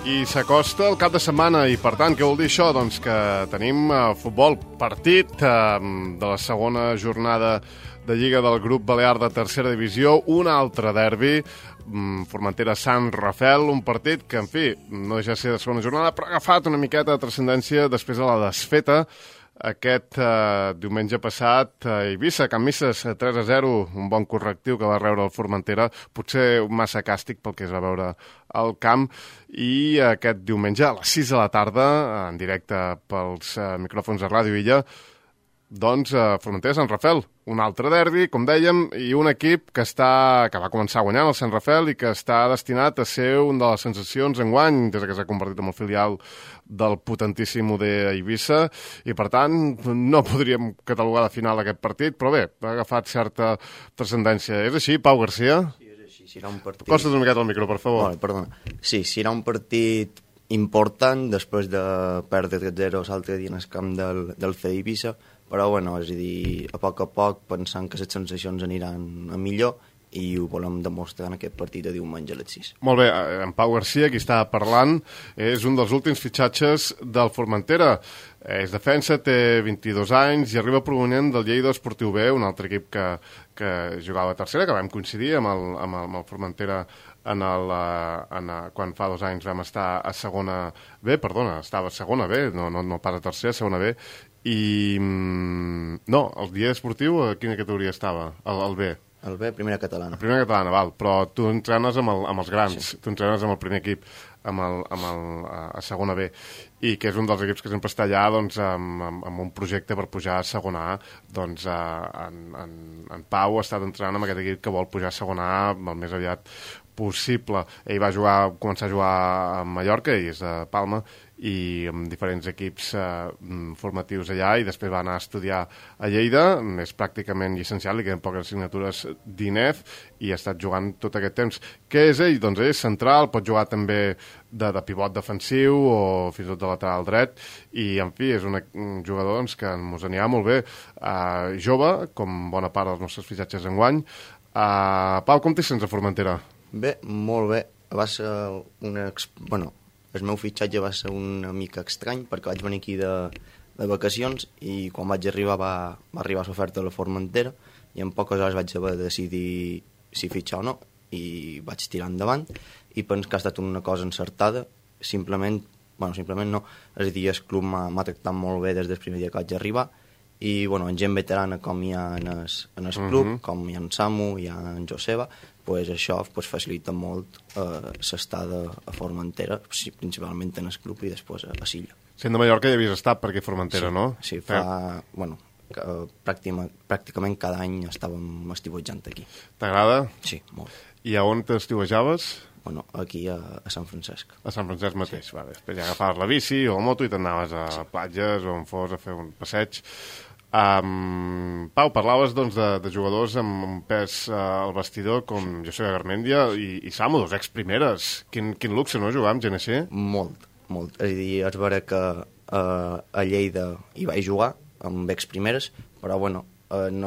I s'acosta el cap de setmana i, per tant, què vol dir això? Doncs que tenim futbol, partit de la segona jornada de Lliga del grup Balear de tercera divisió, un altre derbi, Formentera-Sant Rafel, un partit que, en fi, no deixa de ser de segona jornada, però ha agafat una miqueta de transcendència després de la desfeta aquest diumenge passat a Eivissa, Can Misses 3-0, un bon correctiu que va rebre el Formentera, potser massa càstig pel que es va veure al camp, i aquest diumenge a les 6 de la tarda, en directe pels micròfons de Ràdio Illa, doncs Formentera-Sant Rafel, un altre derbi, com dèiem, i un equip que va començar guanyant el Sant Rafel i que està destinat a ser una de les sensacions enguany, des que s'ha convertit en el filial del potentíssim UD Eivissa, i per tant no podríem catalogar de final aquest partit, però bé, ha agafat certa transcendència. És així, Pau Garcia? Sí, és així. Serà un partit... Costa's una miqueta al micro, per favor. Vale, perdona. Sí, serà un partit important després de perdre 3-0 l'altre dia en el camp del CED Eivissa, però bueno, és a dir, a poc pensant que les sensacions aniran a millor i ho volem demostrar en aquest partit de diumenge a les 6. Molt bé, en Pau Garcia, qui està parlant, és un dels últims fitxatges del Formentera. És defensa, té 22 anys i arriba provenent del Lleida Esportiu B, un altre equip que jugava a tercera, que vam coincidir amb el Formentera quan fa 2 anys vam estar a segona B, estava a segona B, no pas a tercera, segona B, i no, el Lleida Esportiu a quina categoria estava? El B. El B, primera catalana. La primera catalana, val, però tu entrenes amb els grans, sí. Tu entrenes amb el primer equip, a segona B, i que és un dels equips que sempre està allà doncs, amb un projecte per pujar a segona A. Doncs en Pau ha estat entrenant amb aquest equip que vol pujar a segona A el més aviat possible. Ell va començar a jugar a Mallorca, i és de Palma, i amb diferents equips formatius allà, i després va anar a estudiar a Lleida, és pràcticament llicenciat, li queden poques assignatures d'INEF, i ha estat jugant tot aquest temps. Què és ell? Doncs ell és central, pot jugar també de pivot defensiu o fins i tot de lateral dret, i en fi, és un jugador doncs, que ens anirà molt bé, jove, com bona part dels nostres fitxatges enguany. Pau, com t'hi sents a Formentera? Bé, molt bé. Va ser el meu fitxatge va ser una mica estrany perquè vaig venir aquí de vacacions i quan vaig arribar va arribar l'oferta de la Formentera i en poques hores vaig haver de decidir si fitxar o no i vaig tirar endavant i penso que ha estat una cosa encertada, simplement no, és a dir, el club m'ha tractat molt bé des del primer dia que vaig arribar i en gent veterana com hi ha en el club, com hi ha en Samu, hi ha en Joseba, això facilita molt l'estada a Formentera, principalment en el club i després a Silla. Sent de Mallorca ja havies estat per aquí a Formentera, sí, no? Sí, pràcticament cada any estàvem estiuejant aquí. T'agrada? Sí, molt. I a on t'estiuejaves? Aquí a Sant Francesc. A Sant Francesc mateix, sí. Vale. Després ja agafaves la bici o la moto i t'anaves a platges o on fos a fer un passeig. Pau, parlaves doncs, de jugadors amb un pes al vestidor com José Garmendia i Samu, 2 ex-primeres. Quin luxe, no, jugar amb gent així? Molt. És a dir, és vera que a Lleida hi vaig jugar amb ex-primeres, però no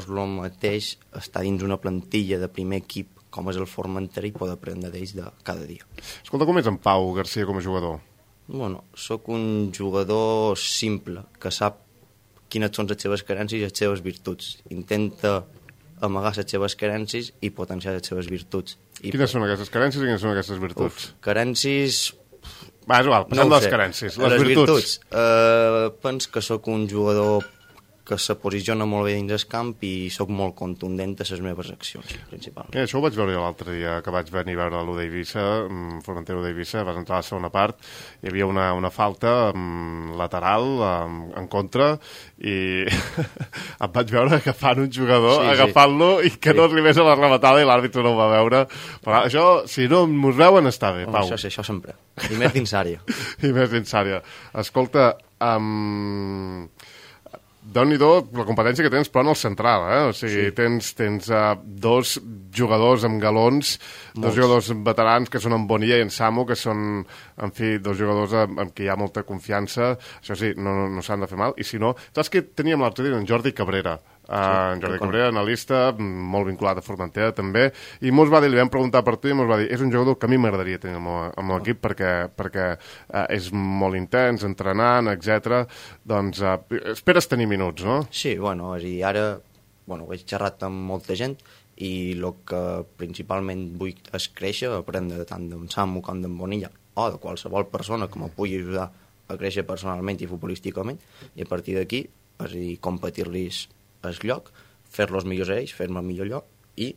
és el mateix estar dins una plantilla de primer equip com és el Formentera i poder aprendre d'ells de cada dia. Escolta, com és en Pau Garcia com a jugador? Soc un jugador simple, que sap quines són les seves carències i les seves virtuts. Intenta amagar les seves carències i potenciar les seves virtuts. Quines són aquestes carències i quines són aquestes virtuts? Carències... Va, és igual, passem de les carències. Les virtuts. Penso que sóc un jugador que se posiciona molt bé dins el camp i sóc molt contundent a les meves accions, principalment. Això ho vaig veure l'altre dia, que vaig venir a veure l'U d'Eivissa, Formentera d'Eivissa, vas entrar a la segona part, hi havia una falta lateral en contra i em vaig veure agafant un jugador, agafant-lo i que no arribés a la rematada i l'àrbitre no ho va veure. Però això, si no mos veuen, està bé, Pau. Això sempre. I més dins àrea. I més dins àrea. Escolta, Déu-n'hi-do la competència que tens, però en el central, O sigui, tens 2 jugadors amb galons, 2 jugadors veterans que són en Bonilla i en Samu, que són, en fi, 2 jugadors amb qui hi ha molta confiança. Això sí, no s'han de fer mal. I si no, saps que teníem l'altre dia en Jordi Cabrera, en Jordi Cabrera, analista, molt vinculat a Formentera també, i mos va dir, li vam preguntar per tu i mos va dir, és un jugador que a mi m'agradaria tenir amb l'equip perquè és molt intens, entrenant, etc. Doncs esperes tenir minuts, no? Sí, bueno, és a dir, ara he xerrat amb molta gent i el que principalment vull és créixer, aprendre tant d'en Samu com d'en Bonilla o de qualsevol persona que me pugui ajudar a créixer personalment i futbolísticament, i a partir d'aquí, és a dir, competir-los el lloc, fer-los millors a ells, fer-me el millor lloc i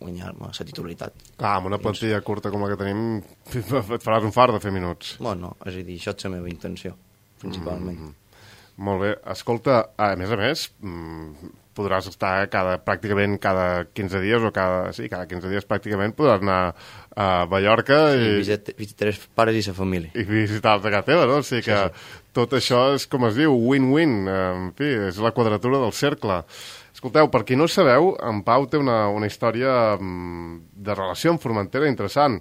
guanyar-me la titularitat. Clar, amb una plantilla curta com la que tenim et faràs un fart de fer minuts. Bueno, és a dir, això és la meva intenció, principalment. Molt bé. Escolta, a més, podràs estar pràcticament cada 15 dies, cada 15 dies pràcticament podràs anar a Mallorca i visitar els pares i la família. I visitar-te a casa teva, no? O sigui que tot això és, com es diu, win-win. En fi, és la quadratura del cercle. Escolteu, per qui no ho sabeu, en Pau té una història de relació amb Formentera interessant.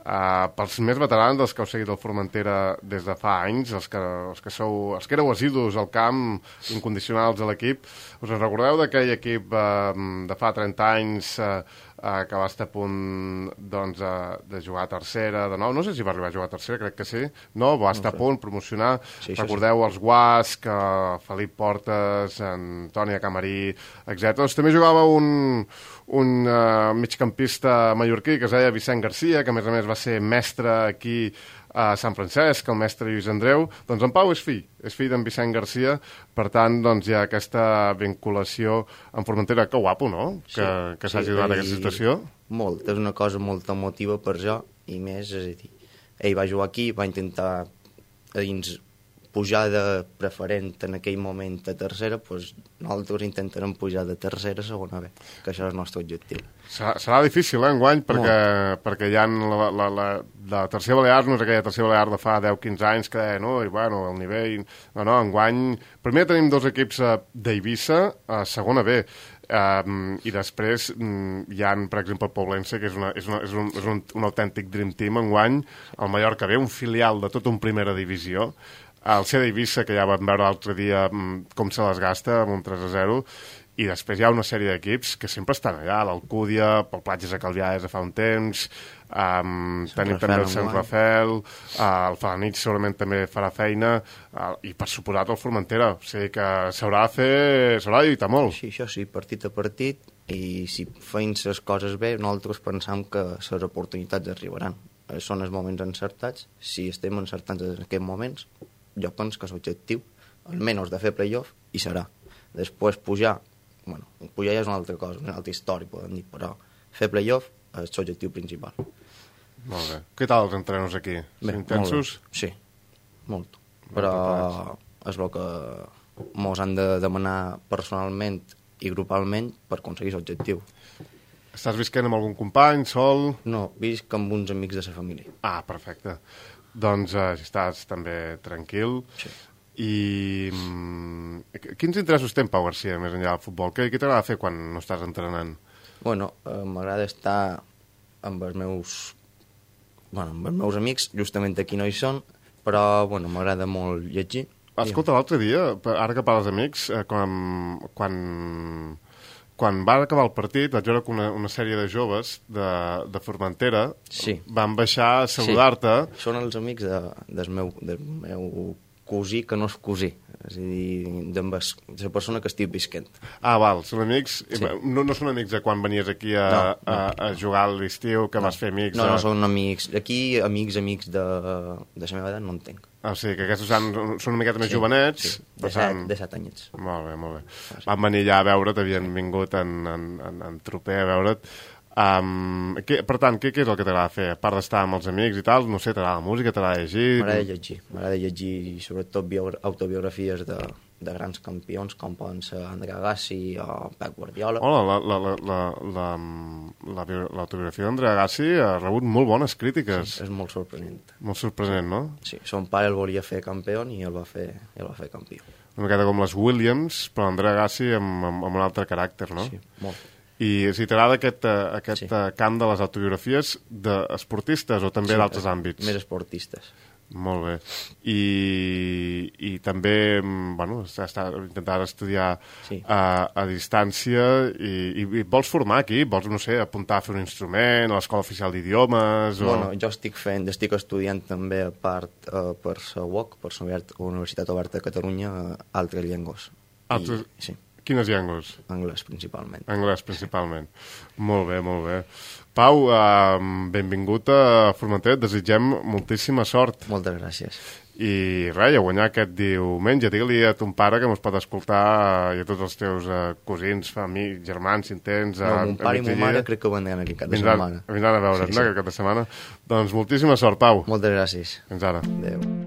Pels més veterans, dels que heu seguit el Formentera des de fa anys, els que éreu assidus al camp, incondicionals a l'equip, us en recordeu d'aquell equip de fa 30 anys que va estar a punt de jugar a tercera de nou? No sé si va arribar a jugar a tercera, crec que sí. No, va estar a punt, promocionar. Sí, recordeu els Guasc, Felip Portes, Antònia Camarí, etc. Doncs també jugava un migcampista mallorquí que es deia Vicent Garcia, que a més va ser mestre aquí a Sant Francesc, el mestre Lluís Andreu. Doncs en Pau és fill d'en Vicent Garcia, per tant, doncs hi ha aquesta vinculació amb Formentera. Que guapo, no? Que s'hagi donat aquesta situació. Molt, és una cosa molt emotiva per jo, i més, és a dir, ell va jugar aquí, va intentar a dins pujar de preferent en aquell moment a tercera, doncs nosaltres intentarem pujar de tercera a segona B, que això és el nostre objectiu. Serà difícil, enguany, perquè hi ha la tercera Balears, no és aquella tercera Balear de fa 10-15 anys que deia, no, i bueno, el nivell... No, enguany... Primer tenim dos equips d'Eivissa a segona B, i després hi ha, per exemple, el Poblense, que és un autèntic dream team enguany, el Mallorca B, un filial de tot un primera divisió, el CD Eivissa, que ja vam veure l'altre dia com se les gasta amb un 3-0, i després hi ha una sèrie d'equips que sempre estan allà, l'Alcúdia, el Platges de Calvià des de fa un temps, tenim també el Sant Rafel, el Falanich segurament també farà feina, i per suposat el Formentera, o sigui que s'haurà de lluitar molt. Sí, això sí, partit a partit, i si feim les coses bé, nosaltres pensam que les oportunitats arribaran. Són els moments encertats, si estem encertats en aquests moments, jo penso que l'objectiu, almenys de fer play-off, hi serà. Després pujar ja és una altra cosa, una altra història, podem dir, però fer play-off és l'objectiu principal. Molt bé. Què tal els entrenos aquí? Són intensos? Sí, molt. Però és el que mos han de demanar personalment i grupalment per aconseguir l'objectiu. Estàs visquent amb algun company, sol? No, visc amb uns amics de la família. Ah, perfecte. Doncs estàs també tranquil. Sí. I quins interessos té en Pau Garcia més enllà del futbol? Què t'agrada fer quan no estàs entrenant? Bueno, m'agrada estar amb els meus amics, justament aquí no hi són, però m'agrada molt llegir. Escolta, l'altre dia, ara que parles d'amics, quan va acabar el partit, vaig veure que una sèrie de joves de Formentera van baixar a saludar-te. Sí. Són els amics del meu cosí que no és cosí, és a dir, de la persona que estic visquent. Ah, val, són amics? Sí. No són amics de quan venies aquí a jugar a l'estiu, que vas fer amics? No, són amics. Aquí, amics de la meva edat no en tenc. O sigui, que aquests són una miqueta més jovenets. Sí, de 7 anyets. Molt bé. Van venir allà a veure't, havien vingut en Troper a veure't. Per tant, què és el que t'agrada fer? A part d'estar amb els amics i tal, no sé, t'agrada la música, t'agrada llegir? M'agrada llegir sobretot autobiografies de grans campions com poden ser André Agassi o Pep Guardiola. L'autobiografia d'André Agassi ha rebut molt bones crítiques. Sí, és molt sorprenent. Molt sorprenent, no? Sí, son pare el volia fer campió i el va fer campió. Una miqueta com les Williams, però André Agassi amb un altre caràcter, no? Sí, molt. I si t'agrada aquest camp de les autobiografies d'esportistes o també d'altres àmbits? Més esportistes. Molt bé. I també, bueno, intentar estudiar a distància i vols formar aquí? Vols, no sé, apuntar a fer un instrument a l'Escola Oficial d'Idiomes? Bueno, jo estic estudiant també a part per la UOC, per la Universitat Oberta de Catalunya, altres llengües. Sí. Quines llengües? Anglès, principalment. Anglès, principalment. Molt bé, molt bé. Pau, benvingut a Formentera, et desitgem moltíssima sort. Moltes gràcies. I res, a guanyar aquest diumenge. Digue-li a ton pare que mos pot escoltar i a tots els teus cosins, amics, germans, si en tens. No, mon pare i mon mare crec que vendran aquest cap de setmana. Vindran a veure't, no, aquest cap de setmana. Doncs moltíssima sort, Pau. Moltes gràcies. Fins ara. Adéu.